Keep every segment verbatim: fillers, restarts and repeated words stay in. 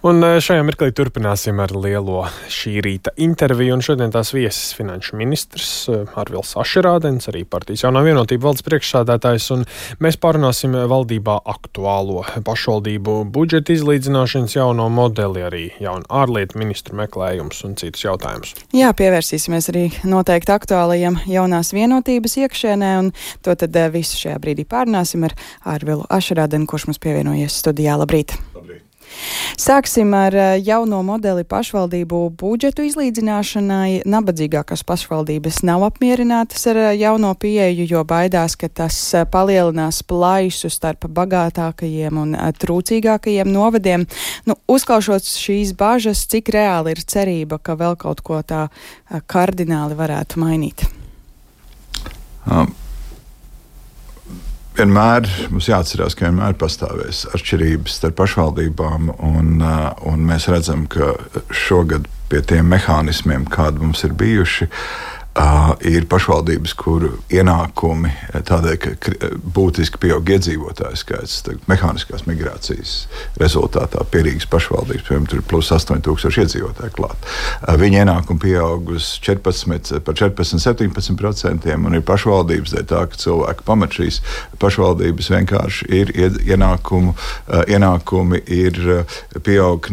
Un šajā mirklī turpināsim ar lielo šī rīta interviju, un šodien tās viesis finanšu ministrs Arvils Ašerādens, arī partijas Jaunā vienotība valdes priekšsādātājs, un mēs pārunāsim valdībā aktuālo pašvaldību budžeta izlīdzināšanas jauno modeli, arī jaunu ārlietu ministru meklējums un citus jautājumus. Jā, pievērsīsimies arī noteikti aktuālajiem Jaunās vienotības iekšēnē, un to tad visu šajā brīdī pārunāsim ar Arvilu Ašerādenu, kurš mums pievienojies studijā. Labrīt! Labrīt! Sāksim ar jauno modeli pašvaldību budžetu izlīdzināšanai. Nabadzīgākās pašvaldības nav apmierinātas ar jauno pieeju, jo baidās, ka tas palielinās plaisu starp bagātākajiem un trūcīgākajiem novadiem. Nu, uzklaušot šīs bažas, cik reāli ir cerība, ka vēl kaut ko tā kardināli varētu mainīt? Um. Vienmēr mums jāatcerās, ka vienmēr pastāvēs atšķirības starp pašvaldībām, un, un mēs redzam, ka šogad pie tiem mehānismiem, kādi mums ir bijuši, uh, ir pašvaldības, kuru ienākumi tādēļ, ka būtiski pieaug iedzīvotāju skaits, mehāniskās migrācijas rezultātā pie Rīgas pašvaldības, piemēram, tur ir plus astoņi tūkstoši iedzīvotāju klāt. Uh, viņa ienākumi pieaug uz četrpadsmit, par četrpadsmit, septiņpadsmit procentiem, un ir pašvaldības dēļ tā, ka cilvēki pamet šīs pašvaldības vienkārši ir ienākumu, uh, ienākumi ir uh, pieaug,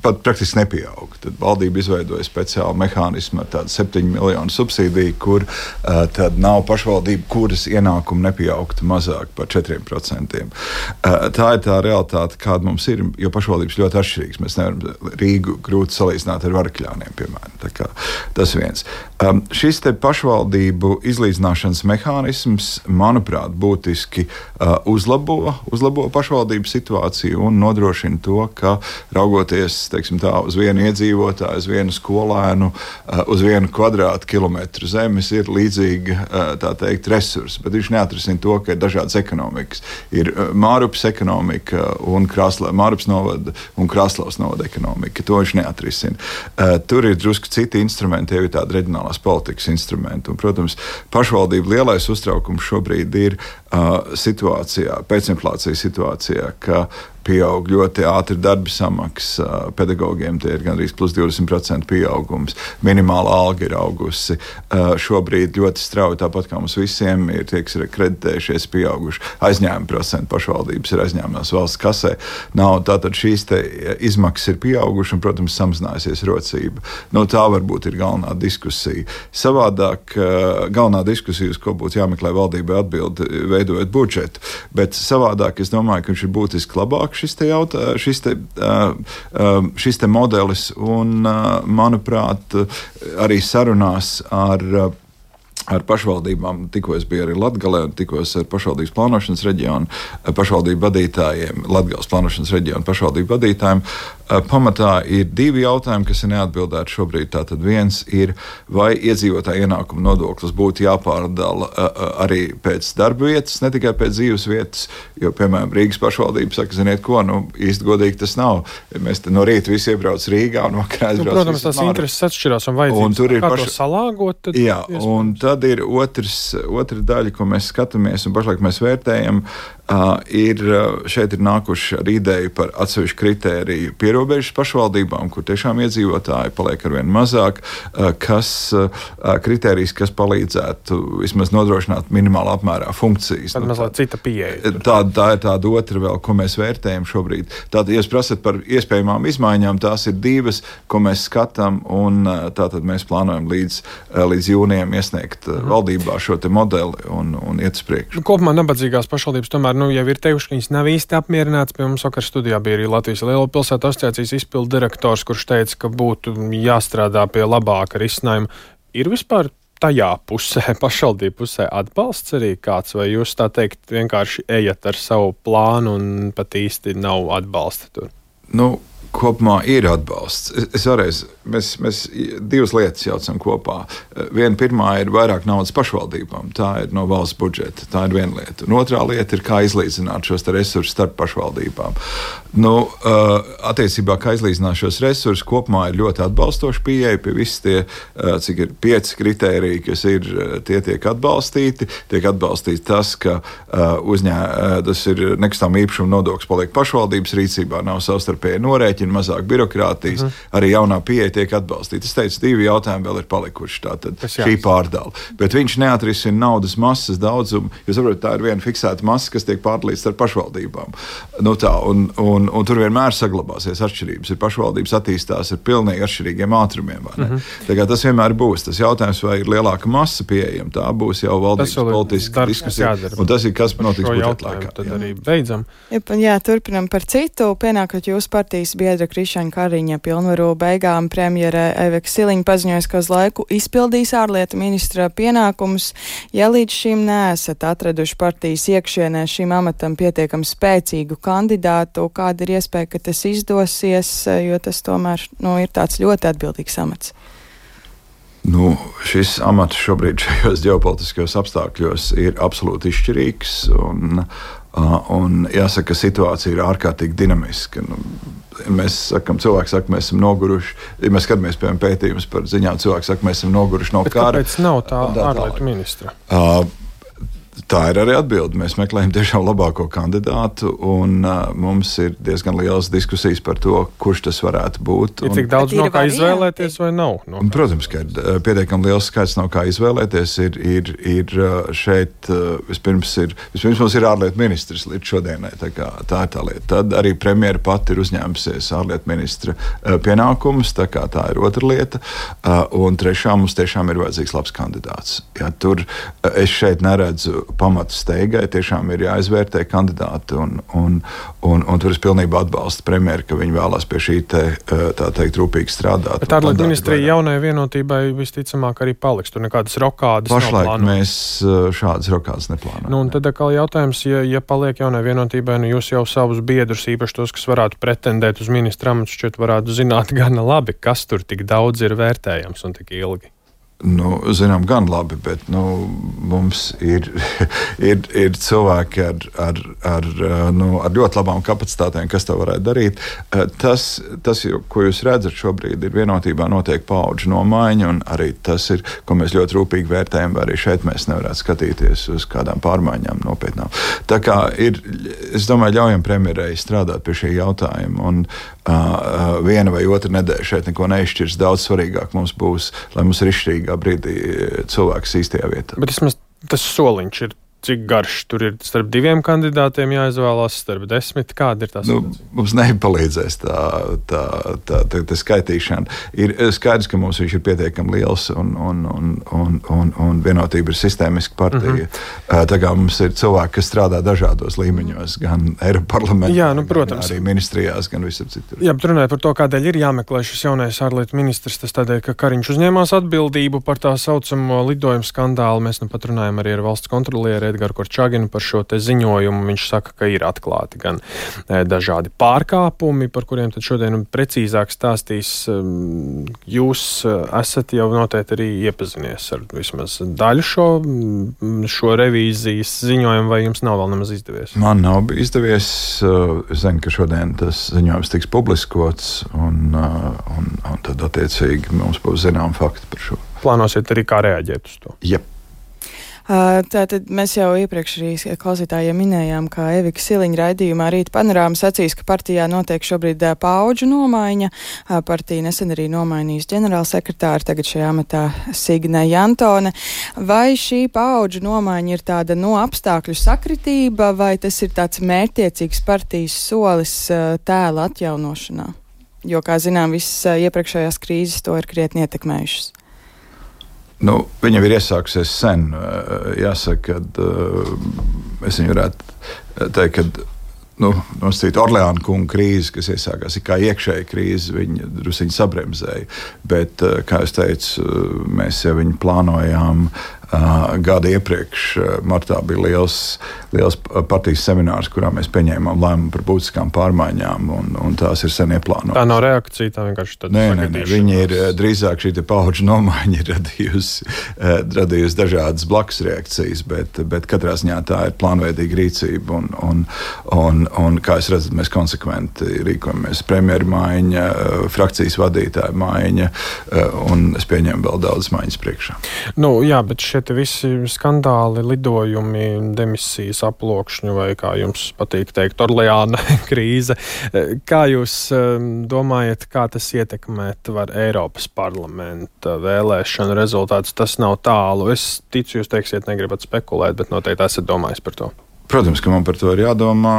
pat praktiski nepieaug. Tad valdība izveidoja speciālu mehānismu ar tādu septiņu miljonu subsīdiju, kur uh, tad nav pašvaldība, kuras ienākumi nepieaugtu mazāk par četriem procentiem. Uh, tā ir tā realitāte, kāda mums ir, jo pašvaldības ļoti atšķirīgas. Mēs nevaram Rīgu grūti salīdzināt ar Varakļāniem, piemēram. Tā kā tas viens. Um, šis te pašvaldību izlīdzināšanas mehānisms, manuprāt, būtiski uh, uzlabo, uzlabo pašvaldību situāciju un nodrošina to, ka raugoties, teiksim tā, uz vienu iedzīvotāju, uz vienu skolēnu, uh, uz vienu kvadrātu kilometru zemes ir līdzīgi, uh, tā teikt, resursi, bet viņš neatrisina to, ka ir dažādas ekonomikas. Ir uh, Mārupas ekonomika un Krāslavas, Mārupas novada un Krāslavas novada ekonomika. To viņš neatrisina. Uh, tur ir drusku citi instrumenti, jau ir tādi reģionālās politikas instrumenti. Un, protams, pašvaldību lielais uztraukums šobrīd ir uh, situācijā, pēcinflācijas situācijā, ka pieaug ļoti ātri darba samaksa pedagogiem, tie ir gandrīz plus divdesmit procenti pieaugums, minimāla alga ir augusi. Uh, šobrīd ļoti strauji, tāpat kā mums visiem ir tie, kas ir kreditējušies, pieauguši aizņēmuma procenti, pašvaldības ir aizņēmumās valsts kasē. Nav, tātad šīs te izmaksas ir pieauguši un, protams, samazinājusies rocība. No tā varbūt ir galvenā diskusija. Savādāk, uh, galvenā diskusija, uz ko būtu jāmeklē valdībai atbildi, veidojot budžetu, bet savādāk es domāju, ka viņš ir būtiski labāk šis te, jautā, šis te, šis te modelis un, manuprāt, arī sarunās ar ar pašvaldībām, tikko es biju arī Latgalē, tikos ar pašvaldības plānošanas reģionu, pašvaldību vadītājiem, Latgales plānošanas reģionu pašvaldību vadītājiem. Pamatā ir divi jautājumi, kas ir neatbildēti šobrīd. Tātad viens ir, vai iedzīvotāju ienākumu nodoklis būtu jāpārdala arī pēc darba vietas, ne tikai pēc dzīves vietas, jo, piemēram, Rīgas pašvaldība saka, ziniet ko, nu, īsti godīgi tas nav. Mēs te no rīta visi iebrauc Rīgā un vakarā aizbrauc. Nu, protams, tās intereses atšķirās un vajadzības. Un kā paš... to salāgot? Tad jā, un tad ir otrs, otra daļa, ko mēs skatāmies un pašlaik mēs vērtējam, uh, ir, šeit ir nākuši ar ideju par atsevišķu kritēriju pierobežas pašvaldībām, kur tiešām iedzīvotāji paliek arvien mazāk, uh, kas uh, kritērijs, kas palīdzētu vismaz nodrošināt minimālā apmērā funkcijas. Tad nu, mazliet cita pieeja. Tā, tā ir tāda otra vēl, ko mēs vērtējam šobrīd. Tātad, ja jūs prasat par iespējamām izmaiņām, tās ir divas, ko mēs skatām, un tātad mēs plānojam līdz, līdz jūnijam iesniegt mm. valdībā šo te modeli un, un iet uz priekšu. Nu, kopumā nabadzīgās pašvaldības tomēr nu, jau ir teikuši, ka viņas nav īsti apmierināts. Pie mums vakar studijā bija arī Latvijas Lielo pilsētu asociācijas izpildu direktors, kurš teica, ka būtu jāstrādā pie labāka risinājuma. Ir vispār tajā pusē, pašvaldību pusē atbalsts arī kāds, vai jūs tā teikt vienkārši ejat ar savu plānu un pat īsti nav atbalsta tur? Nu, kopumā ir atbalsts. Es, es varēs, mēs, mēs divas lietas jaucam kopā. Viena pirmā ir vairāk naudas pašvaldībām. Tā ir no valsts budžeta. Tā ir viena lieta. Un otrā lieta ir, kā izlīdzināt šos resursus starp pašvaldībām. Nu, attiecībā, kā izlīdzināt šos resursus, kopumā ir ļoti atbalstoši pieeja pie visi tie, cik ir pieci kritēriji, kas ir, tie tiek atbalstīti. Tiek atbalstīts tas, ka uzņē, tas ir nekustamā īpašuma nodoklis paliek pašvaldības rīcībā, nav savstarpēji norēķini. rēķina, mazāk birokrātijas, uh-huh. arī jaunā pieeja tiek atbalstīta. Es teicu, divi jautājumi vēl ir palikuši, tātad šī pārdala. Bet viņš neatrisina naudas masas daudzumu, jo, saprot, tā ir viena fiksēta masa, kas tiek pārdalīta ar pašvaldībām. Nu tā, un, un, un tur vienmēr saglabāsies atšķirības. Ir pašvaldības attīstās ar pilnīgi atšķirīgiem ātrumiem, vai ne? Uh-huh. Tā kā tas vienmēr būs. Tas jautājums, vai ir lielāka masa pieejama, tā būs jau valdības politiska diskusija. Un tas ir, kas notiks budžeta laikā. Tad jā. Arī beidzam. Jā, jā, turpinam par citu. Pienākot jūsu partijas biedra Krišņa Kariņa pilnvaru beigām, premjere Evika Siliņa paziņoja, ka uz laiku izpildīs ārlietu ministra pienākumus. Ja līdz šim neesat atraduši partijas iekšienē šim amatam pietiekami spēcīgu kandidātu, kāda ir iespēja, ka tas izdosies, jo tas tomēr nu, ir tāds ļoti atbildīgs amats? Nu, šis amats šobrīd šajos ģeopolitiskajos apstākļos ir absolūti izšķirīgs, un, un jāsaka, ka situācija ir ārkārtīgi dinamiska. Nu, mēs sakam, cilvēki saka, mēs esam noguruši, ja mēs skatāmies, piemēram, pētījumus par ziņām, cilvēki saka, mēs esam noguruši no Bet kara. Kāpēc nav tā ārlietu ministra? Uh, Tā ir arī atbilde. Mēs meklējam tiešām labāko kandidātu, un uh, mums ir diezgan liels diskusijas par to, kurš tas varētu būt. Ir cik daudz no kā izvēlēties vai nav? No Protams, ka ir pietiekami liels skaits no kā izvēlēties. Ir, ir, ir šeit vispirms, ir, vispirms mums ir ārlietu ministrs līdz šodienai. Tā, kā, tā ir tā lieta. Tad arī premjera pati ir uzņēmusies ārlietu ministra pienākumus, tā kā tā ir otra lieta. Un trešā mums tiešām ir vajadzīgs labs kandidāts. Ja, tur es šeit neredzu pamatu steigai, tiešām ir jāizvērtē kandidāti, un, un, un, un tur es pilnībā atbalstu premjeru, ka viņi vēlās pie šī te, tā teikt, rūpīgi strādāt. Bet ārlietu ministrija jaunai vienotībai visticamāk arī paliks, tur nekādas rokādas Pašlaik nav plānotas. Mēs šādas rokādas neplānojam. Nu, un tad atkal jautājums, ja, ja paliek jaunai vienotībai, nu jūs jau savus biedrus, īpaši tos, kas varētu pretendēt uz ministra amatu, šķiet varētu zināt gana labi, kas tur tik daudz ir vērtējams un tik ilgi. Nu, zinām, gan labi, bet nu, mums ir, ir, ir cilvēki ar, ar, ar, nu, ar ļoti labām kapacitātēm, kas to varētu darīt. Tas, tas, ko jūs redzat šobrīd, ir vienotībā notiek paudžu nomaiņa, un arī tas ir, ko mēs ļoti rūpīgi vērtējam, vai arī šeit mēs nevarētu skatīties uz kādām pārmaiņām nopietnām. Tā kā ir, es domāju, ļaujam premjerei strādāt pie šī jautājuma, un uh, viena vai otra nedēļa šeit neko neizšķirs. Daudz svarīgāk mums būs, lai mums ir izšķirīgā brīdī cilvēks īstajā vietā. Bet vismaz tas soliņš ir cik garš? Tur ir starp diviem kandidātiem jāizvēlās, starp desmit. Kāda ir tā nu, situācija? Mums nepalīdzēs tā, tā, tā, tā, tā skaitīšana. Ir skaidrs, ka mums viņš ir pietiekami liels, un, un, un, un, un, un vienotība ir sistēmiska partija. Uh-huh. Tā kā mums ir cilvēki, kas strādā dažādos līmeņos, gan Eiropas parlamentā, Jā, nu, protams. Gan arī ministrijās, gan visur citur. Jā, bet runājot par to, kādēļ ir jāmeklē šis jaunais ārlietu ministrs, tas tādēļ, ka Kariņš uzņēmās atbildību par tā saucamo lidojumu skandālu. Mēs nu pat runājam arī ar valsts kontrolieri Edgaru Korčaginu par šo te ziņojumu. Viņš saka, ka ir atklāti gan e, dažādi pārkāpumi, par kuriem tad šodien precīzāk stāstīs. Jūs esat jau noteikti arī iepazinies ar vismaz daļu šo, šo revīzijas ziņojumu, vai jums nav vēl nemaz izdevies? Man nav izdevies. Es zinu, ka šodien tas ziņojums tiks publiskots, un, un, un tad attiecīgi mums būs zinām fakti par šo. Plānosiet arī kā reaģēt uz to? Jep. Tātad mēs jau iepriekš arī klausītājiem minējām, ka Evika Siliņa raidījumā Rīta panorāma sacīs, ka partijā notiek šobrīd paudžu nomaiņa. Partija nesen arī nomainījusi ģenerālsekretāru, tagad šajā amatā Signe Jantone. Vai šī paudžu nomaiņa ir tāda no apstākļu sakritība, vai tas ir tāds mērķtiecīgs partijas solis tēla atjaunošanā? Jo, kā zinām, visas iepriekšējās krīzes to ir krietni ietekmējušas. Nu, viņa ir iesākusies sen. Jāsaka, ka es viņu varētu teikt, ka nu, nosacīt Orleāna kunga krīze, kas iesākās kā iekšēja krīze, viņa drusiņi sabremzēja. Bet, kā es teicu, mēs jau viņu plānojām Uh, gada iepriekš. Uh, martā bija liels, liels partijas seminārs, kurā mēs pieņēmām lēmumu par būtiskām pārmaiņām, un, un tās ir sen ieplānotas. Tā nav reakcija, tā vienkārši tāda nē, nē, nē, viņi ir drīzāk šī paudžu nomaiņa ir radījusi, uh, radījusi dažādas blakus reakcijas, bet, bet katrā ziņā tā ir plānveidīga rīcība, un, un, un, un kā es redzu, mēs konsekventi rīkojamies. Premjeru maiņa, uh, frakcijas vadītāja maiņa, uh, un es pieņemu vēl daudz maiņas priekšā. Nu, jā, bet šie šie visi skandāli, lidojumi, demisijas aplokšņu vai, kā jums patīk teikt, Orleāna krīze. Kā jūs domājat, kā tas ietekmēt var Eiropas parlamenta vēlēšanu rezultātus? Tas nav tālu. Es ticu, jūs teiksiet, negribat spekulēt, bet noteikti esat domājis par to. Protams, ka man par to ir jādomā.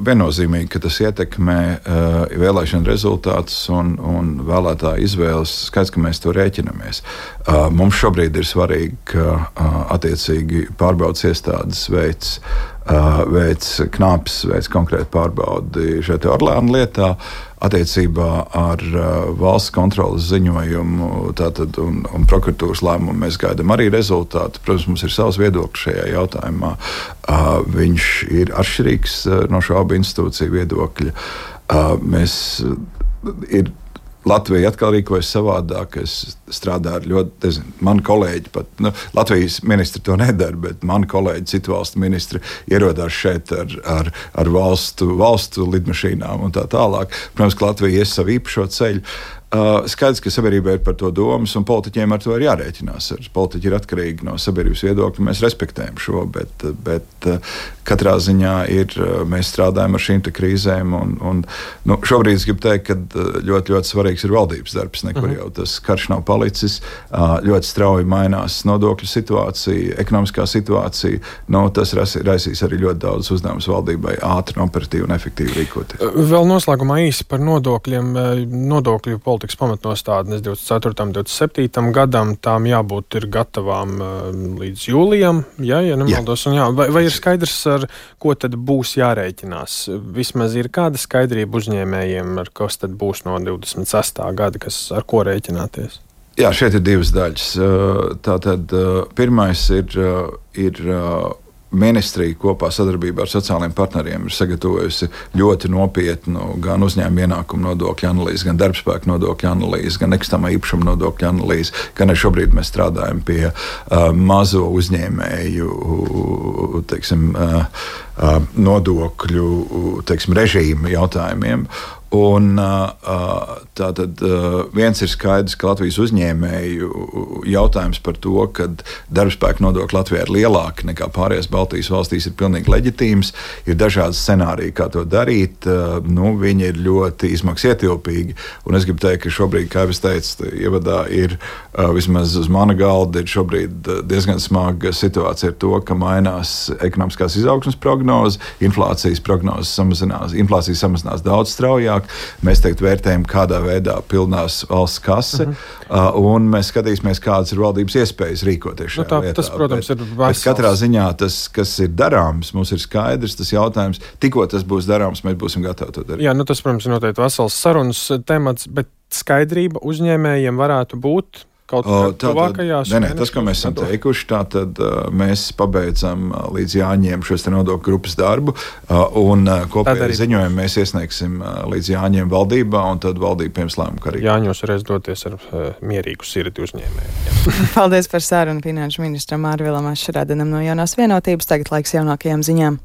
Viennozīmīgi, ka tas ietekmē uh, vēlēšanu rezultātus un, un vēlētāju izvēles. Skaidrs, ka mēs to rēķinamies. Uh, mums šobrīd ir svarīgi, ka uh, attiecīgi pārbaudas iestādes veids, uh, veids knāpes, veids konkrēti pārbaudi šeit Orleāna lietā. Attiecībā ar uh, valsts kontrolas ziņojumu tātad, un, un prokuratūras lēmumu mēs gaidām arī rezultātu. Protams, mums ir savs viedoklis šajā jautājumā. Uh, viņš ir atšķirīgs uh, no šo abu institūciju viedokļa. Uh, mēs, uh, ir, Latvija atkal rīkojas savādāk. Es strādāju ar ļoti, nezinu, mani kolēģi pat, nu, Latvijas ministri to nedara, bet mani kolēģi, citu valstu ministri ierodās šeit ar, ar, ar valstu, valstu lidmašīnām un tā tālāk. Protams, ka Latvija ies savu īpašo ceļu. Uh, skaidrs, ka sabiedrībai ir par to domas, un politiķiem ar to ir jārēķinās. Politiķi ir atkarīgi no sabiedrības viedokļa, mēs respektējam šo, bet, bet uh, katrā ziņā ir, uh, mēs strādājam ar šīm krīzēm, un, un nu, šobrīd es gribu teikt, ka ļoti, ļoti svarīgs ir valdības darbs, nekur uh-huh. jau tas karš nav palicis, uh, ļoti strauji mainās nodokļu situācija, ekonomiskā situācija, nu, tas raisīs arī ļoti daudz uzdevumus valdībai ātri, operatīvi un efektīvi rīkoties. Vēl noslēgumā īsi par nodokļiem, nodokļu politiku. Politikas pamatnostādnes divdesmit ceturtajam un divdesmit septītajam gadam, tām jābūt ir gatavām uh, līdz jūlijam, ja, ja nemaldos. Jā. Un jā, vai, vai ir skaidrs, ar ko tad būs jārēķinās? Vismaz ir kāda skaidrība uzņēmējiem, ar kas tad būs no divdesmit sestā gada, kas, ar ko rēķināties? Jā, šeit ir divas daļas. Tātad pirmais ir, ir ministrija kopā sadarbībā ar sociālajiem partneriem ir sagatavojusi ļoti nopietnu gan uzņēmuma ienākumu nodokļu analīzi, gan darbspēku nodokļu analīzi, gan nekustamā īpašuma nodokļu analīzi, gan arī šobrīd mēs strādājam pie uh, mazo uzņēmēju teiksim, uh, uh, nodokļu teiksim, režīmu jautājumiem. Un tātad viens ir skaidrs, ka Latvijas uzņēmēju jautājums par to, ka darbspēka nodokļi Latvijā ir lielāki nekā pārējās Baltijas valstīs, ir pilnīgi leģitīms. Ir dažādi scenāriji, kā to darīt. Nu, viņi ir ļoti izmaksas ietilpīgi. Un es gribu teikt, ka šobrīd, kā es teicu, ievadā ir vismaz uz mana galda ir šobrīd diezgan smaga situācija ar to, ka mainās ekonomiskās izaugsmes prognoze, inflācijas prognozes samazinās, inflācija samazinās daudz straujāk. Mēs teikt, vērtējam, kādā veidā pilnās valsts kase, uh-huh. un mēs skatīsimies, kādas ir valdības iespējas rīkoties šajā nu, tā, lietā. Tas, protams, bet, ir vesels. Bet katrā ziņā tas, kas ir darāms, mums ir skaidrs tas jautājums. Tikko tas būs darāms, mēs būsim gatavi to darīt. Jā, nu tas, protams, ir noteikti vesels sarunas temats, bet skaidrība uzņēmējiem varētu būt kaut kādā tuvākajās mēnešos. Nē, nē, tas, ko mēs esam teikuši, tātad uh, mēs pabeidzam uh, līdz jāņem šos te nodokļu grupas darbu, uh, un uh, kopēji ziņojumu mēs iesniegsim uh, līdz jāņem valdībā, un tad valdība pieņems lēmumu, ka arī. Jāņos reiz doties ar uh, mierīgu sirdi uzņēmējiem. Paldies par sarunu finanšu ministram Mārvilam Ašrādenam no Jaunās vienotības. Tagad laiks jaunākajām ziņām.